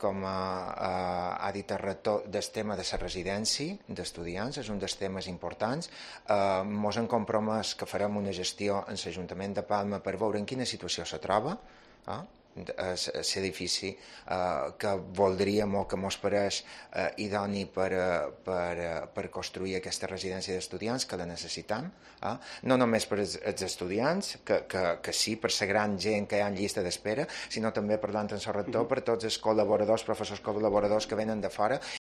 com ha dit el rector, del tema de la residència d'estudiants, és un dels temes importants. Ens hem compromès que farem una gestió en l'Ajuntament de Palma per veure en quina situació se troba l'edifici que voldríem o que ens pareix idoni per construir aquesta residència d'estudiants, que la necessitem, no només per als estudiants, que sí, per la gran gent que hi ha en llista d'espera, sinó també, parlant amb el rector, per tots els col·laboradors, professors col·laboradors que venen de fora